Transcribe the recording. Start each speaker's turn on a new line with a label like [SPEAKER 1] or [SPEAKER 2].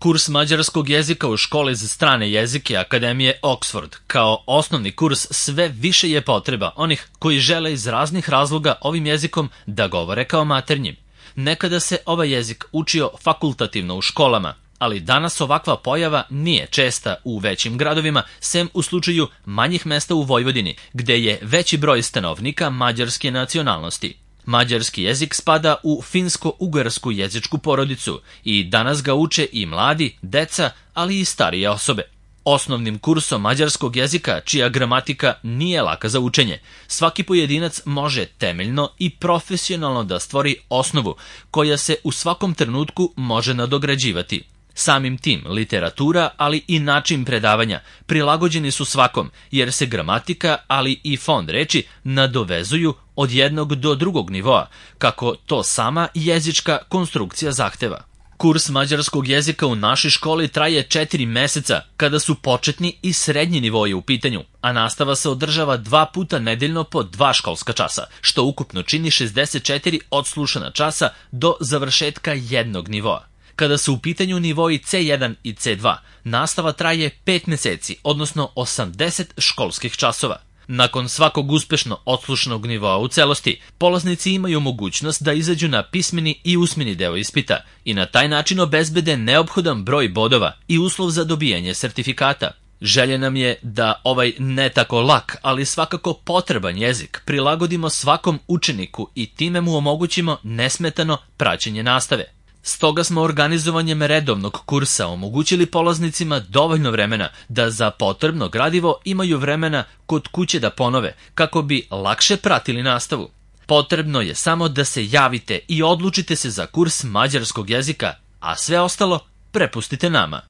[SPEAKER 1] Kurs mađarskog jezika u školi za strane jezike Akademije Oxford kao osnovni kurs sve više je potreba onih koji žele iz raznih razloga ovim jezikom da govore kao maternjim. Nekada se ovaj jezik učio fakultativno u školama, ali danas ovakva pojava nije česta u većim gradovima, sem u slučaju manjih mesta u Vojvodini, gde je veći broj stanovnika mađarske nacionalnosti. Mađarski jezik spada u finsko-ugarsku jezičku porodicu i danas ga uče i mladi, deca, ali i starije osobe. Osnovnim kursom mađarskog jezika, čija gramatika nije laka za učenje, svaki pojedinac može temeljno i profesionalno da stvori osnovu koja se u svakom trenutku može nadograđivati. Samim tim, literatura, ali i način predavanja prilagođeni su svakom, jer se gramatika, ali i fond reči nadovezuju od jednog do drugog nivoa, kako to sama jezička konstrukcija zahteva. Kurs mađarskog jezika u našoj školi traje 4 meseca kada su početni i srednji nivoji u pitanju, a nastava se održava 2 puta nedeljno po 2 školska časa, što ukupno čini 64 odslušana časa do završetka jednog nivoa. Kada su u pitanju nivoji C1 i C2, nastava traje 5 meseci, odnosno 80 školskih časova. Nakon svakog uspešno odslušanog nivoa u celosti, polaznici imaju mogućnost da izađu na pismeni i usmeni deo ispita i na taj način obezbede neophodan broj bodova i uslov za dobijanje sertifikata. Želja nam je da ovaj ne tako lak, ali svakako potreban jezik prilagodimo svakom učeniku i time mu omogućimo nesmetano praćenje nastave. Stoga smo organizovanjem redovnog kursa omogućili polaznicima dovoljno vremena da za potrebno gradivo imaju vremena kod kuće da ponove, kako bi lakše pratili nastavu. Potrebno je samo da se javite i odlučite se za kurs mađarskog jezika, a sve ostalo prepustite nama.